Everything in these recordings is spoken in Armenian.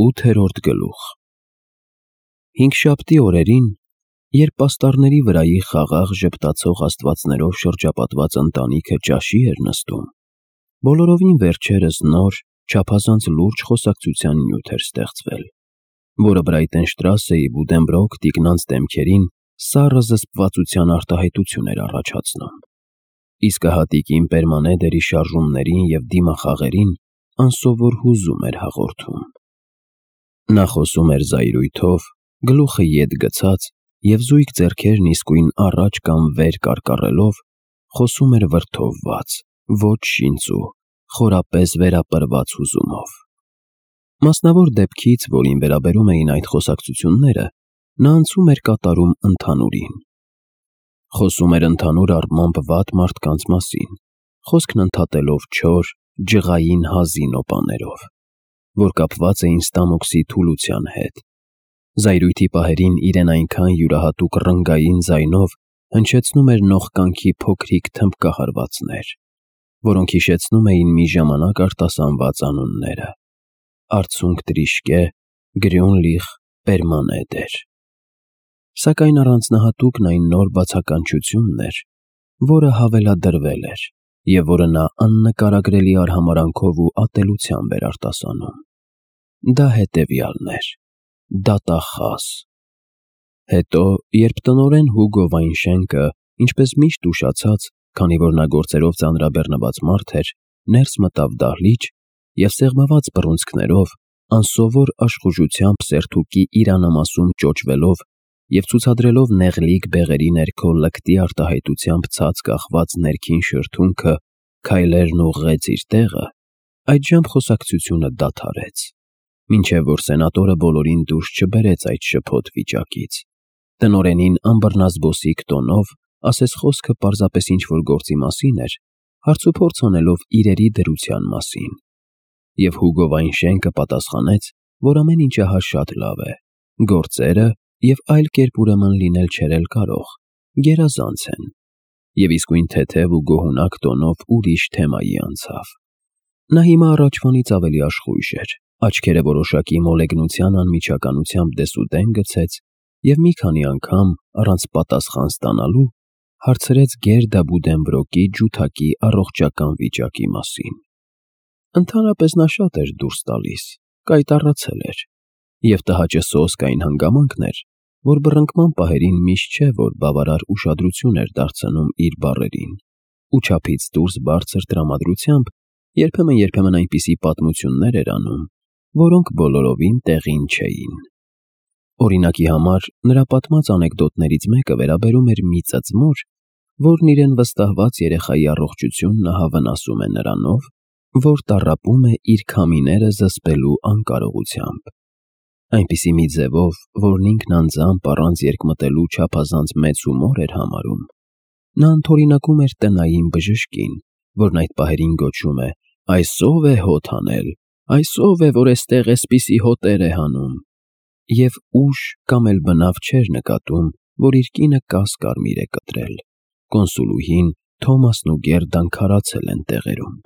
8-րդ գլուխ։ Հինգշաբթի օրերին, երբ պաստառների վրայի խաղաղ ժպտացող աստվածներով շրջապատված ընտանիքը ճաշի էր նստում, բոլորովին վերջերս նոր, չափազանց լուրջ խոսակցության նյութ էր ստեղծվել, որը Բրայտենշտրասեի Բուդենբրոկ տիկնանց դեմքերին սառը զսպվածության արտահայտություն էր առաջացնում։ Իսկ հատիկին պերմանեդերի շարժումներին և դիմախաղերին անսովոր հուզում էր հաղորդում։ Նա խոսում էր զայրույթով, գլուխը ետ գցած և զույգ ձեռքերն իսկույն առաջ կամ վեր կարկառելով, խոսում էր վրդովված, ոչ շինծու, խորապես վերապրված հուզումով։ Մասնավոր դեպքից, որին վերաբերում էին այդ խոսակցությունները, նա անցում էր կատարում ընդհանուրին։ Խոսում էր ընդհանուր առմամբ վատ մարդկանց մասին, խոսքն ընդհատելով չոր, ջղային հազի նոպաներով, որ կապված էին ստամոքսի թուլության հետ։ Զայրույթի պահերին իրեն այնքան յուրահատուկ ռնգային ձայնով հնչեցնում էր նողկանքի փոքրիկ թմբկահարվածներ, որոնք հիշեցնում էին մի ժամանակ արտասանված անունները. Արցունք տրիշկե, Գրյունլիխ, Պերմանեդեր։ Սակայն առանձնահատուկն այն նոր բացականչությունն էր, որը հավելադրվել էր և որը նա աննկարագրելի արհամարհանքով ու ատելությամբ էր արտասանում։ Դա հետևյալն էր. դատախազ։ Հետո, երբ տնօրեն Հուգո Վայնշենկը, ինչպես միշտ ուշացած, քանի որ նա գործերով ծանրաբեռնված մարդ էր, ներս մտավ դահլիճ և սեղմված բռունցքներով, անսովոր աշխուժությամբ սերթուկի իրանամասում ճոճվելով և ցուցադրելով նեղլիկ բեղերի ներքո լկտի արտահայտությամբ ցած կախված ներքին շրթունքը քայլերն ուղղեց իր տեղը, այդժամ խոսակցությունը դադարեց, մինչև որ սենատորը բոլորին դուրս չբերեց այդ շփոթ վիճակից։ Տնօրենին անբռնազբոսիկ տոնով ասեց խոսքը պարզապես ինչ-որ գործի մասին էր, հարցուփորձ անելով իրերի դրության մասին։ Եվ Հուգո Վայնշենկը պատասխանեց, որ ամեն ինչ ահա շատ լավ է, գործերը և այլ կերպ ուրեմն լինել չէր էլ կարող, գերազանց են, և իսկույն թեթև ու գոհունակ տոնով ուրիշ թեմայի անցավ։ Նա հիմա առաջվանից ավելի աշխույժ էր, աչքերը որոշակի մոլեգնության անմիջականությամբ դեսուդեն գցեց և մի քանի անգամ, առանց պատասխան ստանալու, հարցրեց Գերդա Բուդենբրոկի ջութակի առողջական վիճակի մասին։ Ընդհանրապես նա շատ էր դուրս տալիս, կայտառացել էր, և տհաճը սոսկ այն հանգամանքն էր, որ բռնկման պահերին միշտ չէ, որ բավարար ուշադրություն էր դարձնում իր բառերին, ու չափից դուրս բարձր տրամադրությամբ երբեմն այնպիսի պատմություններ էր անում, որոնք բոլորովին տեղին չէին։ Օրինակի համար, նրա պատմած անեկդոտներից մեկը վերաբերում էր մի ծծմոր, որն իրեն վստահված երեխայի առողջությունն ահա վնասում է նրանով, որ տառապում է իր քամիները զսպելու անկարողությամբ։ Այնպիսի մի ձևով, որն ինքն անձամբ առանց երկմտելու չափազանց մեծ հումոր էր համարում, նա ընդօրինակում էր տնային բժշկին, որն այդ պահերին գոչում է. «Այս ո՞վ է հոտ հանել, այս ո՞վ է, որ էստեղ էսպիսի հոտեր է հանում», և ուշ կամ էլ բնավ չէր նկատում, որ իր կինը կաս-կարմիր է կտրել, կոնսուլուհին, Թոմասն ու Գերդան քարացել են տեղերում։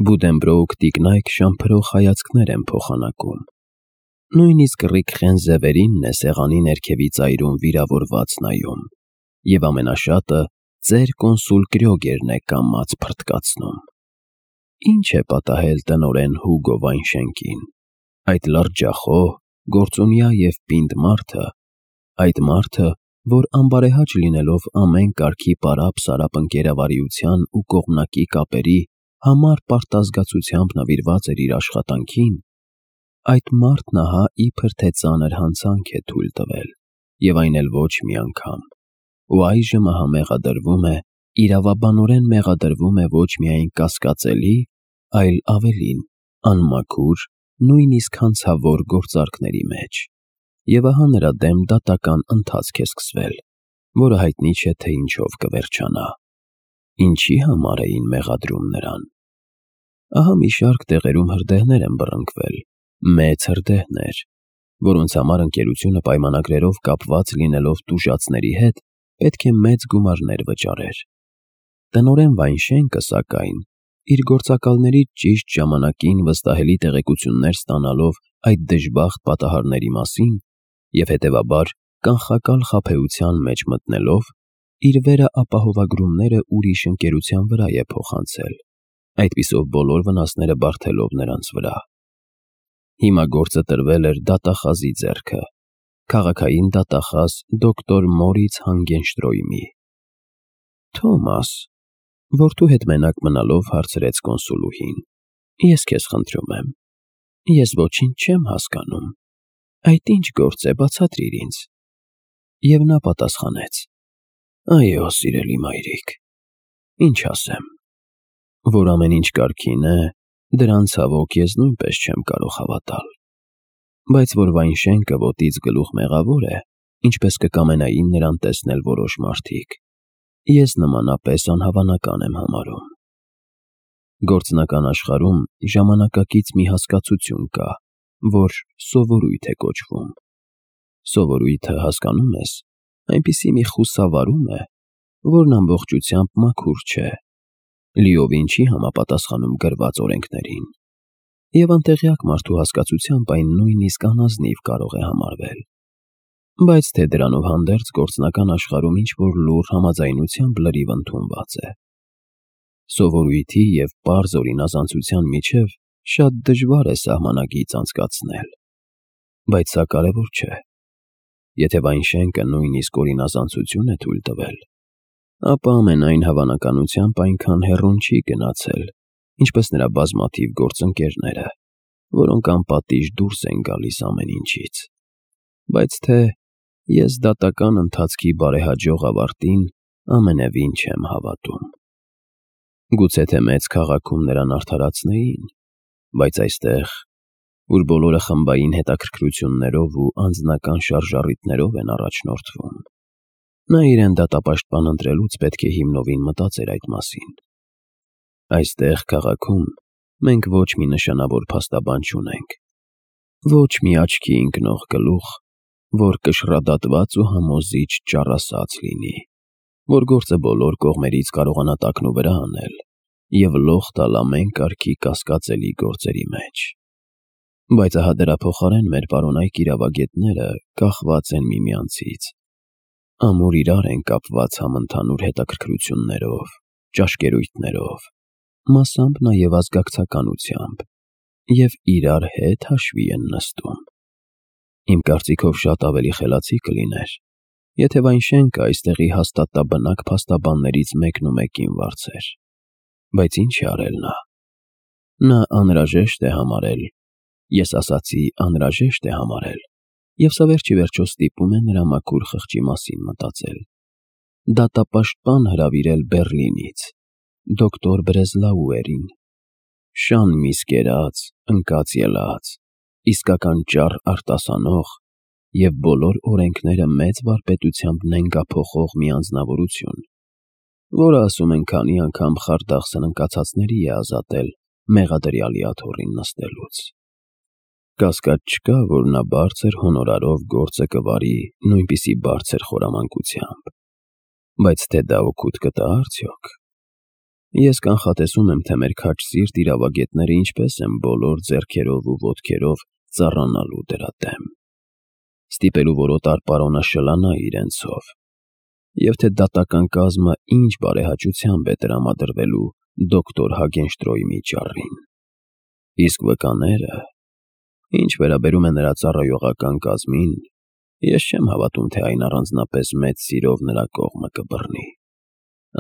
Բուդենբրոկ տիկնայք շամփրող հայացքներ են փոխանակում։ Նույնիսկ Ռիկխեն Զևերինն է սեղանի ներքևի ծայրում վիրավորված նայում, և ամենաշատը ծեր կոնսուլ Կրյոգերն է կամաց փռթկացնում։ Ինչ է պատահել տնօրեն Հուգո Վայնշենկին։ Այդ լրջախոհ, գործունյա և պինդ մարդը, այդ մարդը, որ անբարեհաճ լինելով ամեն կարգի պարապ-սարապ ընկերավարիության ու կողմնակի կապերի համառ պարտազգացությամբ նվիրված էր իր աշխատանքին, այդ մարդն ահա իբր թե ծանր հանցանք է թույլ տվել, և այն էլ ոչ մի անգամ, ու այժմ ահա մեղադրվում է, իրավաբանորեն մեղադրվում է ոչ միայն կասկածելի, այլ ավելին, անմաքուր, նույնիսկ հանցավոր գործարքների մեջ, և ահա նրա դեմ դատական ընթացք է սկսվել, որը հայտնի չէ, թե ինչով կվերջանա։ Ինչի համար էին մեղադրում նրան։ Ահա մի շարք տեղերում հրդեհներ են բռնկվել, մեծ հրդեհներ, որոնց համար ընկերությունը պայմանագրերով կապված լինելով տուժածների հետ, պետք է մեծ գումարներ վճարեր։ Տնօրեն Վայնշենկը, սակայն, իր գործակալներից ճիշտ ժամանակին վստահելի տեղեկություններ ստանալով այդ դժբախտ պատահարների մասին և հետևաբար կանխակալ խաբեության մեջ մտնելով, իր վերը ապահովագրումները ուրիշ ընկերության վրա է փոխանցել, այդպիսով բոլոր վնասները բարդելով նրանց վրա։ Հիմա գործը տրվել էր դատախազի ձեռքը, քաղաքային դատախազ դոկտոր Մորից Հանգենշտրոյմի։ Թոմաս, որդու հետ մենակ մնալով հարցրեց կոնսուլուհին, ես քեզ խնդրում եմ, ես ոչինչ չեմ հասկանում, այդ ինչ գործ է, բացատրիր ինձ։ Եվ նա պատասխանեց. այո, սիրելի մայրիկ, ինչ ասեմ, որ ամեն ինչ կարգին է, դրան ցավոք ես նույնպես չեմ կարող հավատալ, բայց որ Վայնշենկը ոտից գլուխ մեղավոր է, ինչպես կկամենային նրան տեսնել որոշ մարդիկ, ես նմանապես անհավանական եմ համարում։ Գործնական աշխարհում ժամանակակից մի հասկացություն կա, որ սովորույթ է կոչվում։ Սովորույթը, հասկանում ես, այնպիսի մի խուսավարում է, որն ամբողջությամբ մաքուր չէ, լիովին չի համապատասխանում գրված օրենքներին, և անտեղյակ մարդու հասկացությամբ այն նույնիսկ անազնիվ կարող է համարվել, բայց թե դրանով հանդերձ գործնական աշխարհում ինչ-որ լուռ համաձայնությամբ լրիվ ընդունված է։ Սովորույթի և պարզ օրինազանցության միջև շատ դժվար է սահմանագիծ անցկացնել, բայց սա կարևոր չէ։ Եթե Վայնշենկը նույնիսկ օրինազանցություն է թույլ տվել, ապա ամենայն հավանականությամբ այնքան հեռուն չի գնացել, ինչպես նրա բազմաթիվ գործընկերները, որոնք անպատիժ դուրս են գալիս ամեն ինչից։ Բայց թե ես դատական ընթացքի բարեհաջող ավարտին ամենևին չեմ հավատում։ Գուցե թե մեծ քաղաքում նրան արդարացնեին, բայց այստեղ, որ բոլորը խմբային հետաքրքրություններով ու անձնական շարժառիթներով են առաջնորդվում, նա իրեն դատապաշտպան ընտրելուց պետք է հիմնովին մտածեր այդ մասին։ Այստեղ քաղաքում մենք ոչ մի նշանավոր փաստաբան չունենք, ոչ մի աչքի ընկնող գլուխ, որ կշռադատված ու համոզիչ ճառասած լինի, որ գործը բոլոր կողմերից կարողանա տակնուվրա անել և լող տալ ամեն կարգի կասկածելի գործերի մեջ։ Բայց ահա դրա փոխարեն մեր պարոնայք իրավագետները կախված են միմյանցից, ամուր իրար են կապված համընդհանուր հետաքրքրություններով, ճաշկերույթներով, մասամբ նաև ազգակցականությամբ, և իրար հետ հաշվի են նստում։ Իմ կարծիքով շատ ավելի խելացի կլիներ, եթե Վայնշենկը այստեղի հաստատաբնակ փաստաբաններից մեկնումեկին վարձեր, բայց ինչ է արել նա։ Նա անհրաժեշտ է համարել, ես ասացի անհրաժեշտ է համարել, և սա վերջիվերջո ստիպում է նրա մաքուր խղճի մասին մտածել, դատապաշտպան հրավիրել Բեռլինից, դոկտոր Բրեզլաուերին, շան միս կերած, ընկած ելած, իսկական ճառ արտասանող և բոլոր օրենքները մեծ վարպետությամբ նենգափոխող մի անձնավորություն, որը ասում են քանի անգամ խարդախ սննկացածների է ազատել մեղադրյալի աթոռին նստելուց։ Կասկած չկա, որ նա բարձր հոնորարով գործը կվարի նույնպիսի բարձր խորամանկությամբ, բայց թե դա օգուտ կտա արդյոք։ Ես կանխատեսում եմ, թե մեր քաջ սիրտ իրավագետները ինչպես են բոլոր ձեռքերով ու ոտքերով ծառանալու դրա դեմ, ստիպելու որոտար պարոնը շլանա իրենցով, և թե դատական կազմը ինչ բարեհաճությամբ է տրամադրվելու դոկտոր Հագենշտրոյմի ճառին։ Իսկ վկաները, ինչ վերաբերում է նրա ծառայողական կազմին, ես չեմ հավատում, թե այն առանձնապես մեծ սիրով նրա կողմը կբռնի։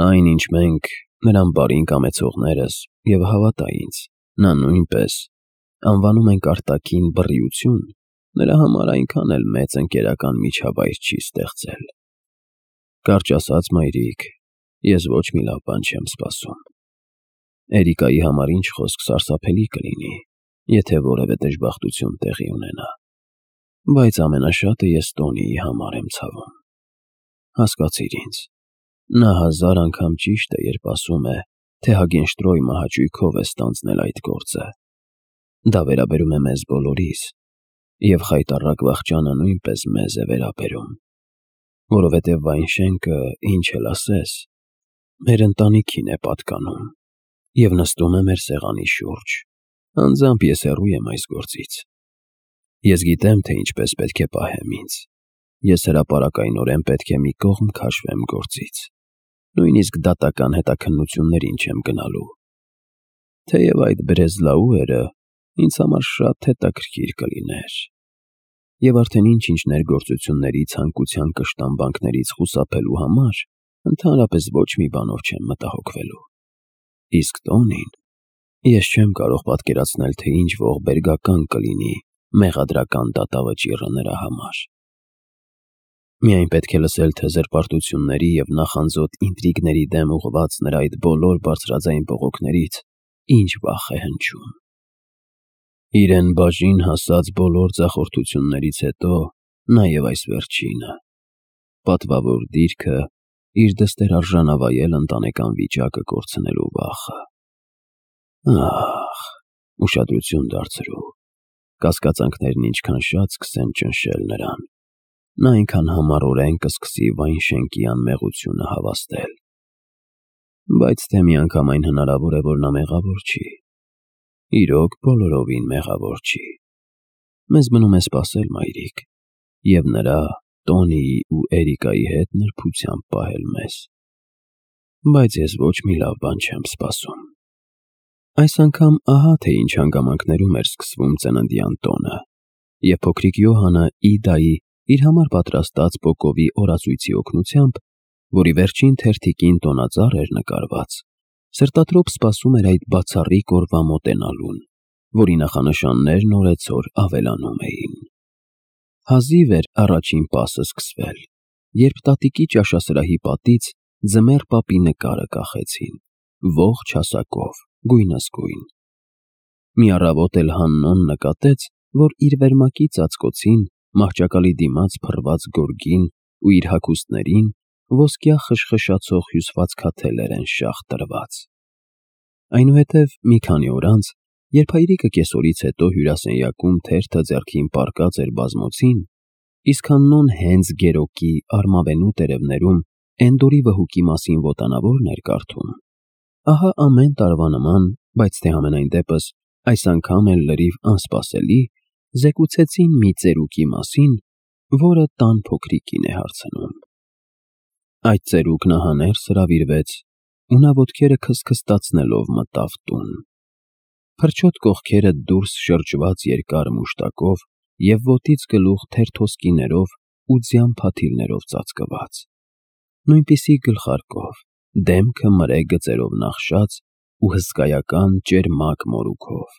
Այն, ինչ մենք, նրան բարին կամեցողներս, և հավատա ինձ, նա նույնպես, անվանում ենք արտաքին բռիություն, նրա համար այնքան էլ մեծ ընկերական միջավայր չի ստեղծել։ Կարճ ասած, մայրիկ, ես ոչ մի լավ բան չեմ սպասում։ Էրիկայի համար ինչ խոսք սարսափելի կլինի, եթե որևէ դժբախտություն տեղի ունենա, բայց ամենաշատը ես Տոնիի համար եմ ցավում։ Հասկացիր ինձ, նա 1000 անգամ ճիշտ է, երբ ասում է, թե Հագենշտրոյմը հաճույքով է ստանձնել այդ գործը։ Դա վերաբերում է մեզ բոլորիս, և խայտառակ վախճանը նույնպես մեզ է վերաբերում, որովհետև Վայնշենկը, ինչ էլ ասես, մեր ընտանիքին է պատկանում, և նստում է մեր սեղանի շուրջ։ Անձամբ ես հեռու եմ այս գործից։ Ես գիտեմ, թե ինչպես պետք է պահեմ ինձ։ Ես հրապարակայնորեն պետք է մի կողմ քաշվեմ գործից։ Նույնիսկ դատական հետաքննություններին չեմ գնալու։ Թեև այդ Բրեզլաուերը ինձ համար շատ հետաքրքիր կլիներ։ Եվ արդեն ինչ-ինչ ներգործությունների ցանկության կշտամբանքներից խուսափելու համար ընդհանրապես ոչ մի բանով չեմ մտահոգվելու։ Իսկ Տոնին, ես չեմ կարող պատկերացնել, թե ինչ ողբերգական կլինի մեղադրական դատավճիռը նրա համար։ Միայն պետք է լսել, թե զրպարտությունների և նախանձոտ ինտրիգների դեմ ուղղված նրա այդ բոլոր բարձրաձայն բողոքներից ինչ վախ է հնչում։ Իրեն բաժին հասած բոլոր ձախորդություններից հետո նաև այս վերջինը, պատվավոր դիրքը, իր դստեր արժանավայել ընտանեկան վիճակը կորցնելու վախը։ Ահ, ուշադրություն դարձրու, կասկածանքներն ինչքան շատ սկսեն ճնշել նրան, նա այնքան համառորեն կսկսի Վայն շենքի անմեղությունը հավաստել։ Բայց թե միանգամայն հնարավոր է, որ նա մեղավոր չի։ Իրոք բոլորովին մեղավոր չի։ Մեզ մնում է սպասել, մայրիկ, և նրա, Տոնիի ու Էրիկայի հետ նրբությամբ պահել մեզ։ Բայց ես ոչ մի լավ բան չեմ սպասում։ Այս անգամ ահա թե ինչ հանգամանքներում էր սկսվում ծննդյան տոնը, և փոքրիկ Յոհանը Իդայի իր համար պատրաստած պոկովի օրացույցի օգնությամբ, որի վերջին թերթիկին տոնածառ էր նկարված, սրտատրոփ սպասում էր այդ բացառիկ օրվա մոտենալուն, որի նախանշաններն օրեցօր ավելանում էին։ Հազիվ էր առաջին պասը սկսվել, երբ տատիկի ճաշասրահի պատից ձմեռ պապի նկարը կախեցին, ողջ հասակով, գույնզգույն։ Մի առավոտ էլ Հաննոն նկատեց, որ իր վերմակի ծածկոցին մահճակալի դիմաց փռված գորգին ու իր հագուստներին ոսկյա խշխշացող հյուսվածքաթելեր են շաղ տրված։ Այնուհետև մի քանի օր անց, երբ հայրիկը կեսօրից հետո հյուրասենյակում թերթը ձեռքին պառկած էր բազմոցին, իսկ Հաննոն հենց գերոկի արմավենու տերևներում Էնդորի վհուկի մասին ոտանավորն էր կարդում, ահա ամեն տարվա նման, բայց թե համենայն դեպս այս անգամ էլ լրիվ անսպասելի, զեկուցեցին մի ծերուկի մասին, որը տան փոքրիկին է հարցնում։ Այդ ծերուկն ահաներս հրավիրվեց, ու նա ոտքերը քստքստացնելով մտավ տուն։ Փրչոտ կողքերը դուրս շրջված երկար մուշտակով և ոտից գլուխ թերթոսկիներով ու ձյան փաթիլներով ծածկված, նույնպիսի գլխարկով, դեմքը մրե գծերով նախշած ու հսկայական ճերմակ մորուքով,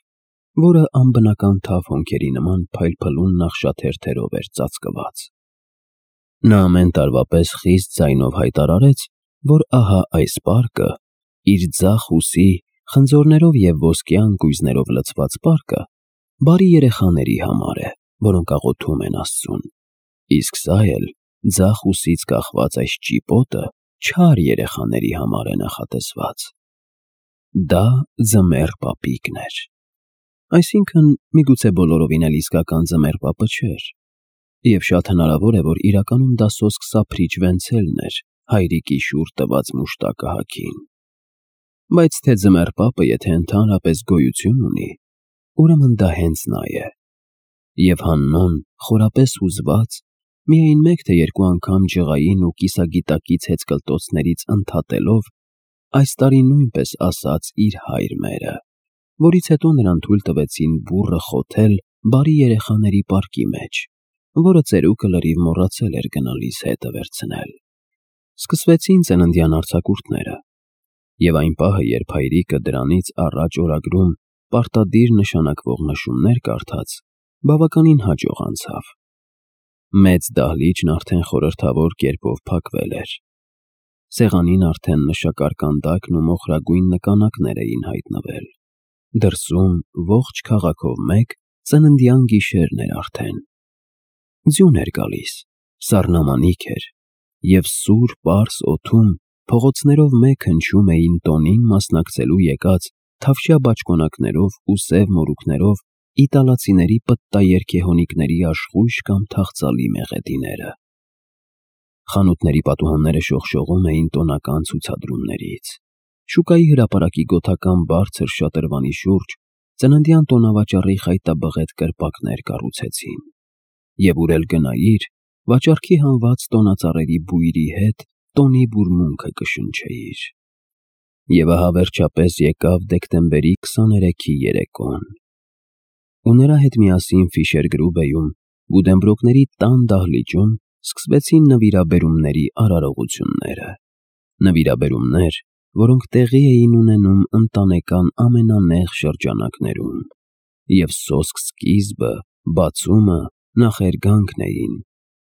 որը անբնական թավ հոնքերի նման փայլփլուն նախշաթերթերով էր ծածկված։ Նա ամեն տարվա պես խիստ ձայնով հայտարարեց, որ ահա այս պարկը, իր ձախ ուսի, խնձորներով և ոսկյա ընկույզներով լցված պարկը, բարի երեխաների համար է, որոնք աղոթում են Աստծուն, իսկ սա էլ ձախ ուսից կախված այս ճիպոտը չար երեխաների համար է նախատեսված։ Դա ձմեռ պապիկն էր։ Այսինքն, միգուցե բոլորովին էլ իսկական ձմեռ պապը չէր, և շատ հնարավոր է, որ իրականում դա սոսկ Սափրիչ Վենցելն էր հայրիկի շուռ տված մուշտակը հագին։ Բայց թե ձմեռ պապը եթե ընդհանրապես գոյություն ունի, ուրեմն դա հենց նա է։ Եվ Հաննոն, խորապես հուզված, միայն մեկ թե երկու անգամ ջղային ու կիսագիտակից հեծկլտոցներից ընդհատելով, այս տարի նույնպես ասաց իր հայր մերը, որից հետո նրան թույլ տվեցին բուռը խոթել բարի երեխաների պարկի մեջ, որը ծերուկը լրիվ մոռացել էր գնալիս հետը վերցնել։ Սկսվեցին ծննդյան արձակուրդները, և այն պահը, երբ հայրիկը դրանից առաջ օրագրում պարտադիր նշանակվող նշումներ կարդաց, բավականին հաջող անցավ։ Մեծ դահլիճն արդեն խորհրդավոր կերպով փակվել էր։ Սեղանին արդեն նշակարկանդակն ու մոխրագույն նկանակներ էին հայտնվել։ Դրսում ողջ քաղաքով մեկ ծննդյան գիշերն էր արդեն։ Ձյուն էր գալիս, սառնամանիք էր, և սուր պարզ օդում փողոցներով մեկ հնչում էին տոնին մասնակցելու եկած թավշյա բաճկոնակներով ու սև մորուքներով իտալացիների պտտաերգեհոնիկների աշխույժ կամ թախծալի մեղեդիները։ Խանութների պատուհանները շողշողում էին տոնական ցուցադրումներից, Շուկայի հրապարակի գոթական բարձր շատրվանի շուրջ ծննդյան տոնավաճառի խայտաբղետ կրպակներ կառուցեցին, և ուր էլ գնայիր, վաճառքի հանված տոնածառերի բույրի հետ տոնի բուրմունքը կշնչեիր։ Եվ ահա վերջապես եկավ դեկտեմբերի 23-ի երեկոն, ու նրա հետ միասին Ֆիշերգրուբեում Բուդենբրոկների տան դահլիճում սկսվեցին նվիրաբերումների արարողությունները, նվիրաբերումներ, որոնք տեղի էին ունենում ընտանեկան ամենանեղ շրջանակներում, և սոսկ սկիզբը, բացումը, նախերգանքն էին,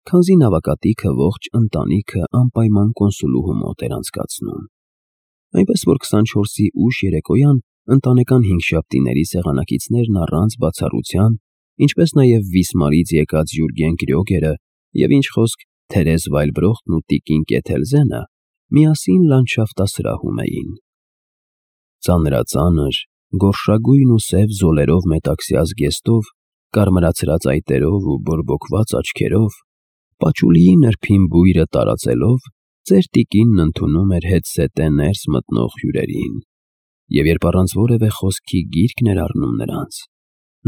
քանզի նավակատիքը ողջ ընտանիքը անպայման կոնսուլուհու մոտ էր անցկացնում, այնպես որ 24-ի ուշ երեկոյան ընտանեկան հինգշաբթիների սեղանակիցներն առանց բացառության, ինչպես նաև Վիսմարից եկած Յուրգեն Կրյոգերը և ինչ խոսք Թերեզ Վայլբրոխտն ու տիկին Կեթելզենը միասին լանդշաֆտասրահում էին։ Ծանրածանր, գորշագույն ու սև զոլերով մետաքսյա զգեստով, կարմրացրած այտերով ու բորբոքված աչքերով, պաչուլիի նրբին բույրը տարածելով, ծեր տիկինն ընդունում էր հետզհետե ներս մտնող հյուրերին, և երբ առանց որևէ խոսքի գիրք էր առնում նրանց,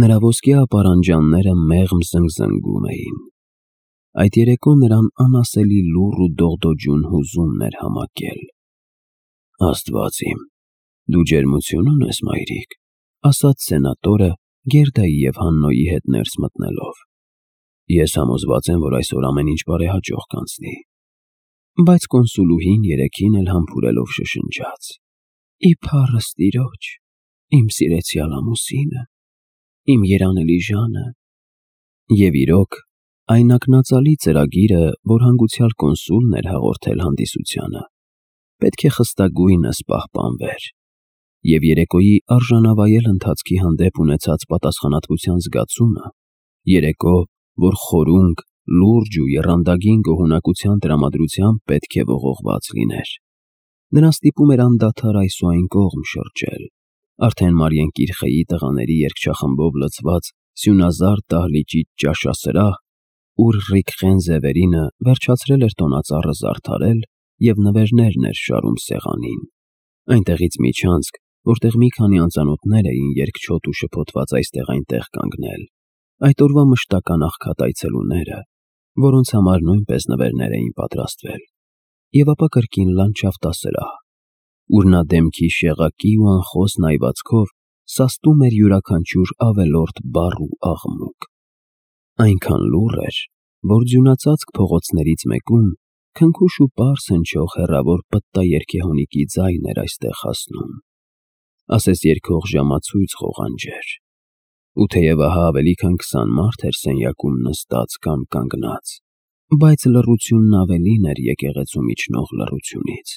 նրա ոսկյա ապարանջանները մեղմ զնգզնգում էին։ Այդ երեկո նրան անասելի լուռ ու դողդոջուն հուզումն էր համակել։ «Աստված իմ, դու ջերմություն ունես, մայրիկ», ասաց սենատորը Գերդայի և Հաննոյի հետ ներս մտնելով։ «Ես համոզված եմ, որ այսօր ամեն ինչ բարեհաջող կանցնի»։ Բայց կոնսուլուհին երեքին էլ համբուրելով շշնջաց. «Իփառս Տիրոջ, իմ սիրեցյալ ամուսինը, իմ երանելի Ժանը»։ Եվ իրոք, այն ակնածալի ծրագիրը, որ հանգուցյալ կոնսուլն էր հաղորդել հանդիսությանը, պետք է խստագույնս պահպանվեր, և երեկոյի արժանավայել ընթացքի հանդեպ ունեցած պատասխանատվության զգացումը, երեկո, որ խորունկ, լուրջ ու եռանդագին գոհունակության տրամադրությամբ պետք է ողողված լիներ, նրան ստիպում էր անդադար այս ու այն կողմ շրջել, արդեն Մարիեն Կիրխեի տղաների երգչախմբով լցված սյունազարդ դահլիճի ճաշասրահ, ուր Ռիկխեն Զևերինը վերջացրել էր տոնածառը զարդարել և նվերներն էր շարում սեղանին, այնտեղից միջանցք, որտեղ մի քանի անծանոթներ էին երկչոտ ու շփոթված այստեղ-այնտեղ կանգնել, այդ օրվա մշտական աղքատ այցելուները, որոնց համար նույնպես նվերներ էին պատրաստվել, և ապա կրկին լանդշաֆտասրահ, ուր նա դեմքի շեղակի ու անխոս նայվածքով սաստում էր յուրաքանչյուր ավելորդ բառ ու աղմուկ, այնքան լուռ էր, որ ձյունածածկ փողոցներից մեկում քնքուշ ու պարզ հնչող հեռավոր պտտաերգեհոնիկի ձայն էր այստեղ հասնում, ասես երգող ժամացույց ղողանջեր, ու թեև ահա ավելի քան 20 մարդ էր սենյակում նստած կամ կանգնած, բայց լռությունն ավելին էր եկեղեցու միջնող լռությունից,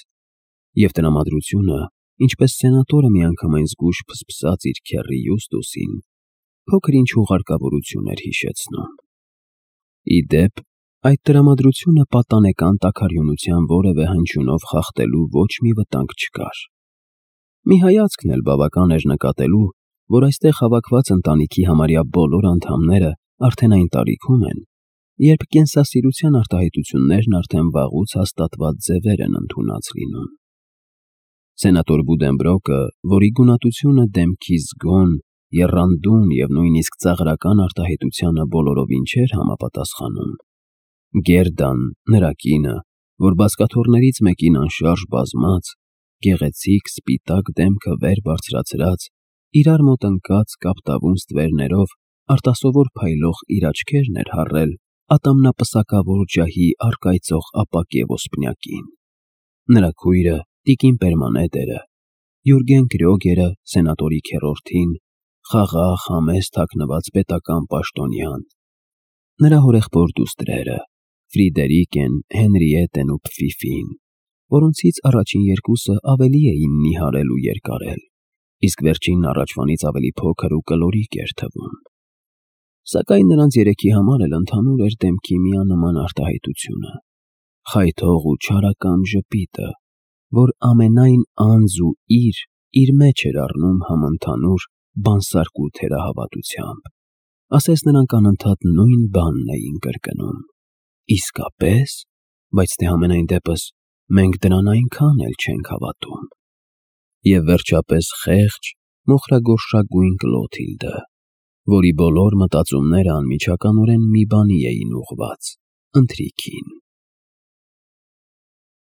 և տրամադրությունը, ինչպես սենատորը միանգամայն զգույշ փսփսաց իր քեռի Յուստուսին, փոքր-ինչ հուղարկավորություն էր հիշեցնում։ Ի դեպ, այդ տրամադրությունը պատանեկան տաքարյունության որևէ հնչյունով խախտելու ոչ մի վտանգ չկար։ Մի հայացքն էլ բավական էր նկատելու, որ այստեղ հավաքված ընտանիքի համարյա բոլոր անդամները արդեն այն տարիքում են, երբ կենսասիրության արտահայտություններն արդեն վաղուց հաստատված ձևեր են ընդունած լինում։ Սենատոր Բուդենբրոկը, որի գունատությունը դեմքի զգոն, եռանդուն և նույնիսկ ծաղրական արտահայտությանը բոլորովին չէր համապատասխանում, Գերդան, նրա կինը, որ բազկաթոռներից մեկին անշարժ բազմած, գեղեցիկ սպիտակ դեմքը վեր բարձրացրած, իրար մոտ ընկած կապտավուն ստվերներով արտասովոր փայլող իր աչքերն էր հառել ատամնապսակավոր ջահի առկայծող ապակե ոսպնյակին։ Նրա քույրը, տիկին Պերմանեդերը, Յուրգեն Կրյոգերը, սենատորի քեռորդին, խաղաղ, համեստ հագնված պետական պաշտոնյան, նրա հորեղբոր դուստրերը, Ֆրիդերիկեն, Հենրիետեն ու Փֆիֆին, որոնցից առաջին երկուսը ավելի էին նիհարել ու երկարել, իսկ վերջինն առաջվանից ավելի փոքր ու կլորիկ էր թվում։ Սակայն նրանց երեքի համար էլ ընդհանուր էր դեմքի միանման արտահայտությունը, խայթող ու չարակամ ժպիտը, որ ամենայն անձ ու իր մեջ էր առնում համընդհանուր բանսարկու թերահավատությամբ, ասես նրանք անընդհատ նույն բանն էին կրկնում։ Իսկապես, բայց թե համենայն դեպս մենք դրան այնքան էլ չենք հավատում։ Եվ վերջապես խեղճ, մոխրագորշագույն Կլոթիլդը, որի բոլոր մտածումները անմիջականորեն մի բանի էին ուղղված՝ ընթրիքին։